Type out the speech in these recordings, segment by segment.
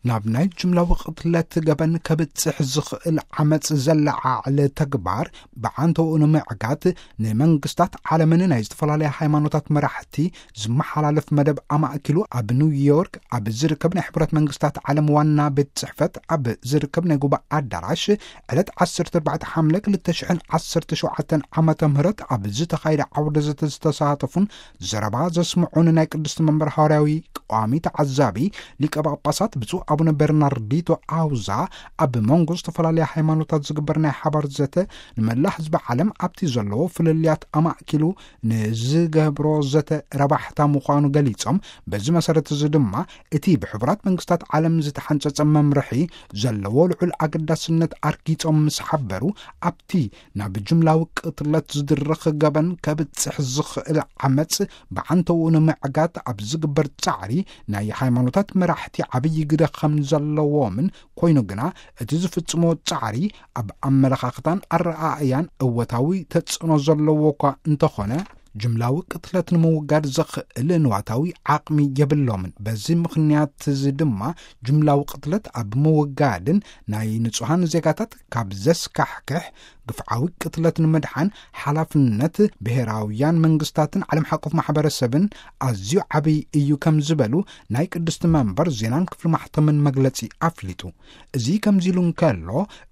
ናብ ናይ ጅምላዊ ቅትለት ገበን ከብጽሕ ዝኽእል ዓመጽ ዘለዓዕል ተግባር ብዓንተኡ ንምዕጋት፣ ንመንግስታት ዓለምን ናይ ዝተፈላለያ ሃይማኖታት መራሕቲ ዝመሓላለፍ መደብ ኣማእኪሉ፣ ኣብ ኒውዮርክ ኣብ ዝርከብ ናይ ሕቡራት መንግስታት ዓለም ዋና ቤት ጽሕፈት ኣብ ዝርከብ ናይ ጉባኤ ኣዳራሽ ዕለት ዓሰርተ ኣርባዕተ ሓምለ ክልተ ሽሕን ዓሰርተ ሸውዓተን ዓመተ ምህረት ኣብ ዝተኻየደ ዓውደ ዘተ ዝተሳተፉን ዘረባ ዘስምዑን ናይ ቅድስቲ መንበር ሃዋርያዊ ቋሚ ተዓዛቢ ሊቀ ጳጳሳት ብፁዕ ኣቡነ በርናርዲቶ ኣውዛ፣ ኣብ መንጎ ዝተፈላለያ ሃይማኖታት ዝግበር ናይ ሓባር ዘተ፣ ንመላእ ህዝቢ ዓለም ኣብቲ ዘለዎ ፍልልያት ኣማእኪሉ ንዝገብሮ ዘተ ረባሕታ ምዃኑ ገሊጾም፣ በዚ መሰረት እዚ ድማ እቲ ብሕቡራት መንግስታት ዓለም ዝተሓንጸጸ መምርሒ ዘለዎ ልዑል ኣገዳስነት ኣርጊጾም ምስ ሓበሩ፣ ኣብቲ ናብ ጅምላዊ ቅትለት ዝድርኽ ገበን ከብጽሕ ዝኽእል ዓመጽ ብዓንተኡ ንምዕጋት ኣብ ዝግበር ጻዕሪ ናይ ሃይማኖታት መራሕቲ ዓብዪ ግደ ከም ዘለዎምን፣ ኮይኑ ግና እቲ ዝፍጽሞ ጻዕሪ ኣብ ኣመለኻኽታን ኣረኣእያን እወታዊ ተጽዕኖ ዘለዎ እኳ እንተኾነ፣ ጅምላዊ ቅትለት ንምውጋድ ዘኽእል ንዋታዊ ዓቕሚ የብሎምን። በዚ ምኽንያት እዚ ድማ ጅምላዊ ቅትለት ኣብ ምውጋድን ናይ ንጹሃን ዜጋታት ካብ ዘስካሕክሕ ግፍዓዊ ቅትለት ንምድሓን ሓላፍነት ብሄራውያን መንግስታትን ዓለም ሓቆፍ ማሕበረሰብን ኣዝዩ ዓብዪ እዩ ከም ዝበሉ ናይ ቅድስቲ መንበር ዜናን ክፍሊ ማሕተምን መግለጺ ኣፍሊጡ። እዚ ከምዚ ኢሉ እንከሎ፣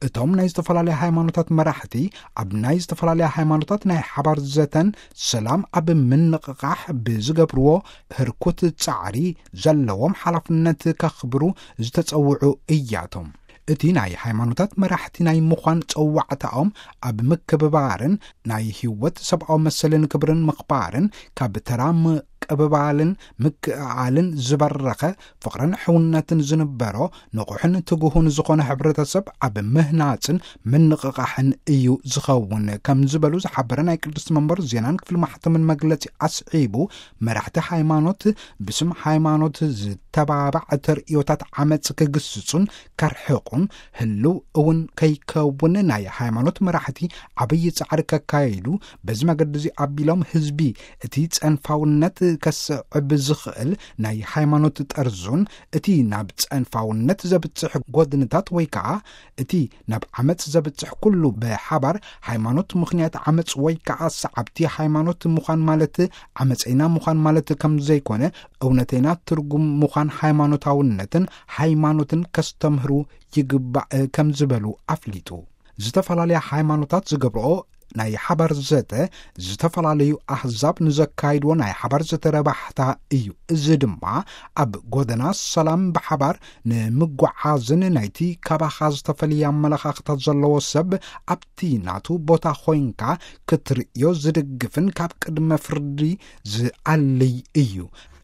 እቶም ናይ ዝተፈላለያ ሃይማኖታት መራሕቲ ኣብ ናይ ዝተፈላለያ ሃይማኖታት ናይ ሓባር ዘተን ሰላም ኣብ ምንቕቓሕ ብዝገብርዎ ህርኩት ጻዕሪ ዘለዎም ሓላፍነት ከኽብሩ ዝተጸውዑ እያቶም። እቲ ናይ ሃይማኖታት መራሕቲ ናይ ምዃን ጸዋዕታኦም ኣብ ምክብባርን ናይ ህይወት ሰብኣዊ መሰልን ክብርን ምኽባርን ካብ ተራ ምቅብባልን ምክእኣልን ዝበረኸ ፍቕርን ሕውነትን ዝንበሮ ንቑሕን ትጉሁን ዝኾነ ሕብረተሰብ ኣብ ምህናጽን ምንቕቓሕን እዩ ዝኸውን ከም ዝበሉ ዝሓበረ ናይ ቅድስቲ መንበር ዜናን ክፍሊ ማሕተምን መግለጺ ኣስዒቡ፣ መራሕቲ ሃይማኖት ብስም ሃይማኖት ዝተባባዕ ተርእዮታት ዓመጽ ክግስጹን ከርሕቑን ህልው እውን ከይከውን ናይ ሃይማኖት መራሕቲ ዓብዪ ጻዕሪ ከካይዱ፣ በዚ መገዲ እዚ ኣቢሎም ህዝቢ እቲ ጸንፋውነት ከስዕብ ዝኽእል ናይ ሃይማኖት ጠርዙን እቲ ናብ ጸንፋውነት ዘብጽሕ ጎድንታት ወይ ከኣ እቲ ናብ ዓመጽ ዘብጽሕ ኩሉ ብሓባር ሃይማኖት ምኽንያት ዓመጽ ወይ ከኣ ሰዓብቲ ሃይማኖት ምዃን ማለት ዓመጸይና ምዃን ማለት ከም ዘይኮነ፣ እውነተይና ትርጉም ምዃን ሃይማኖታውነትን ሃይማኖትን ከስተምህሩ ይግባእ ከም ዝበሉ ኣፍሊጡ። ዝተፈላለያ ሃይማኖታት ዝገብርኦ ናይ ሓባር ዘተ፣ ዝተፈላለዩ ኣህዛብ ንዘካይድዎ ናይ ሓባር ዘተ ረባሕታ እዩ። እዚ ድማ ኣብ ጎደና ሰላም ብሓባር ንምጓዓዝን ናይቲ ካባኻ ዝተፈልየ ኣመለኻኽታ ዘለዎ ሰብ ኣብቲ ናቱ ቦታ ኮይንካ ክትርእዮ ዝድግፍን ካብ ቅድመ ፍርዲ ዝኣልይ እዩ።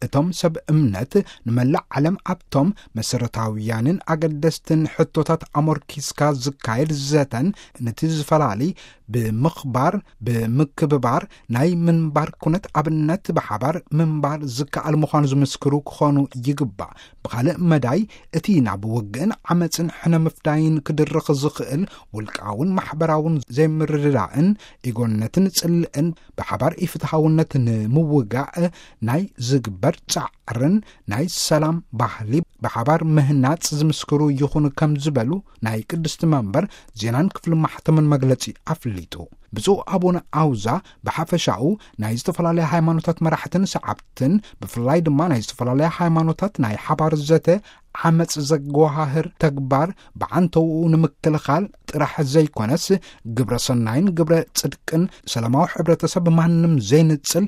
እቶም ሰብ እምነት ንመላእ ዓለም ኣብቶም መሰረታውያንን ኣገደስትን ሕቶታት ኣሞርኪስካ ዝካየድ ዘተን ነቲ ዝፈላሊ ብምኽባር፣ ብምክብባር ናይ ምንባር ኩነት ኣብነት ብሓባር ምንባር ዝከኣል ምዃኑ ዝምስክሩ ክኾኑ ይግባእ። ብኻልእ መዳይ፣ እቲ ናብ ውግእን ዓመጽን ሕነ ምፍዳይን ክድርኽ ዝኽእል ውልቃውን ማሕበራውን ዘይምርድዳእን ኢጎነትን ጽልእን ብሓባር ኢፍትሃውነት ንምውጋእ ናይ ዝግበር ጻዕርን ናይ ሰላም ባህሊ ብሓባር ምህናጽ ዝምስክሩ ይኹኑ ከም ዝበሉ ናይ ቅድስቲ መንበር ዜናን ክፍሊ ማሕተምን መግለጺ ኣፍሊጡ። ብፁዕ ኣቡነ ኣውዛ ብሓፈሻኡ ናይ ዝተፈላለያ ሃይማኖታት መራሕትን ሰዓብትን፣ ብፍላይ ድማ ናይ ዝተፈላለያ ሃይማኖታት ናይ ሓባር ዘተ ዓመጽ ዘጓሃህር ተግባር ብዓንተውኡ ንምክልኻል ጥራሕ ዘይኮነስ፣ ግብረ ሰናይን ግብረ ጽድቅን ሰላማዊ ሕብረተሰብ ማንም ዘይንጽል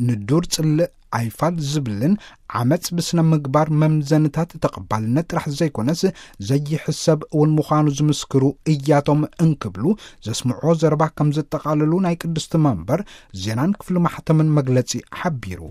ንዱር ጽልእ ኣይፋል ዝብልን ዓመጽ ብስነ ምግባር መምዘንታት ተቐባልነት ጥራሕ ዘይኮነስ ዘይሕሰብ እውን ምዃኑ ዝምስክሩ እያቶም እንክብሉ ዘስምዖ ዘረባ ከም ዘጠቓልሉ ናይ ቅድስቲ መንበር ዜናን ክፍሊ ማሕተምን መግለጺ ሓቢሩ።